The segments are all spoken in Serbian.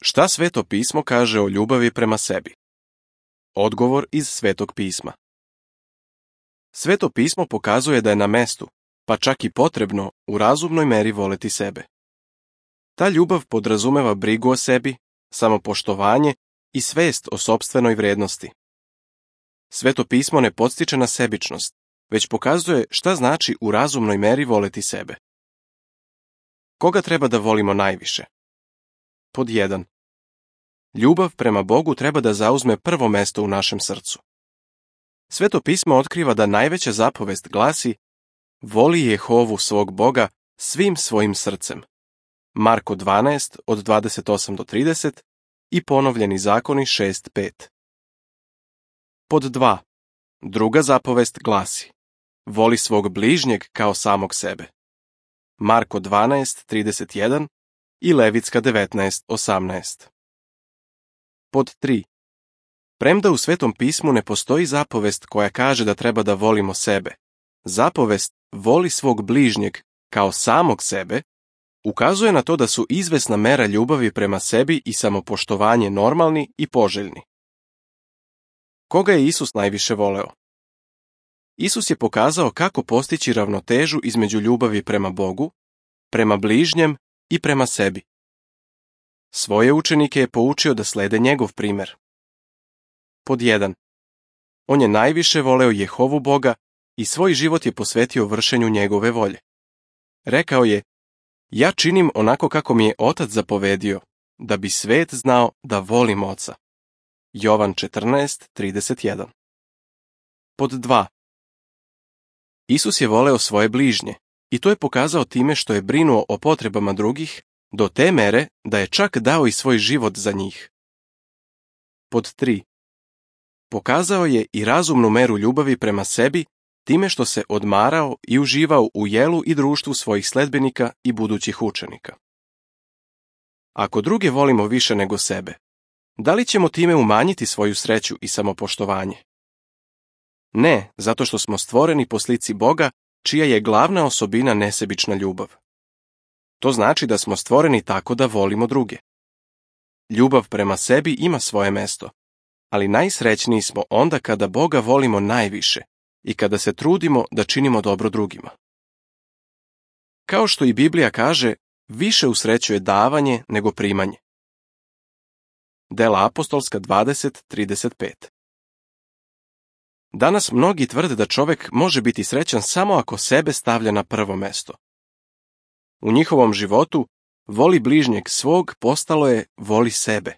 Šta Sveto pismo kaže o ljubavi prema sebi? Odgovor iz Svetog pisma. Sveto pismo pokazuje da je na mestu, pa čak i potrebno, u razumnoj meri voleti sebe. Ta ljubav podrazumeva brigu o sebi, samopoštovanje i svest o sopstvenoj vrednosti. Sveto pismo ne podstiče na sebičnost, već pokazuje šta znači u razumnoj meri voleti sebe. Koga treba da volimo najviše? Pod 1. Ljubav prema Bogu treba da zauzme prvo mesto u našem srcu. Sveto pismo otkriva da najveća zapovest glasi: voli Jehovu svog Boga svim svojim srcem. Marko 12 od 28 do 30 i Ponovljeni zakoni 6:5. Pod 2. Druga zapovest glasi: voli svog bližnjeg kao samog sebe. Marko 12:31 i Levitska 19:18. Pod 3. Premda u Svetom pismu ne postoji zapovest koja kaže da treba da volimo sebe, zapovest voli svog bližnjeg kao samog sebe ukazuje na to da su izvesna mera ljubavi prema sebi i samopoštovanje normalni i poželjni. Koga je Isus najviše voleo? Isus je pokazao kako postići ravnotežu između ljubavi prema Bogu, prema bližnjem i prema sebi. Svoje učenike je poučio da slede njegov primer. Pod 1. On je najviše voleo Jehovu Boga i svoj život je posvetio vršenju njegove volje. Rekao je: ja činim onako kako mi je Otac zapovedio, da bi svet znao da volim Oca. Jovan 14:31. Pod 2. Isus je voleo svoje bližnje i to je pokazao time što je brinuo o potrebama drugih do te mere da je čak dao i svoj život za njih. Pod 3. Pokazao je i razumnu meru ljubavi prema sebi time što se odmarao i uživao u jelu i društvu svojih sledbenika i budućih učenika. Ako druge volimo više nego sebe, da li ćemo time umanjiti svoju sreću i samopoštovanje? Ne, zato što smo stvoreni po slici Boga, čija je glavna osobina nesebična ljubav. To znači da smo stvoreni tako da volimo druge. Ljubav prema sebi ima svoje mesto, ali najsrećniji smo onda kada Boga volimo najviše i kada se trudimo da činimo dobro drugima. Kao što i Biblija kaže, više usrećuje davanje nego primanje. Dela apostolska 20:35. Danas mnogi tvrde da čovek može biti srećan samo ako sebe stavlja na prvo mesto. U njihovom životu voli bližnjeg svog postalo je voli sebe.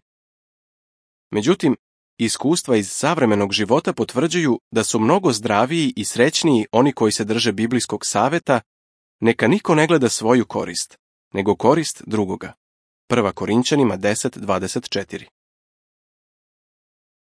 Međutim, iskustva iz savremenog života potvrđuju da su mnogo zdraviji i srećniji oni koji se drže biblijskog saveta: neka niko ne gleda svoju korist, nego korist drugoga. 1. Korinćanima 10:24.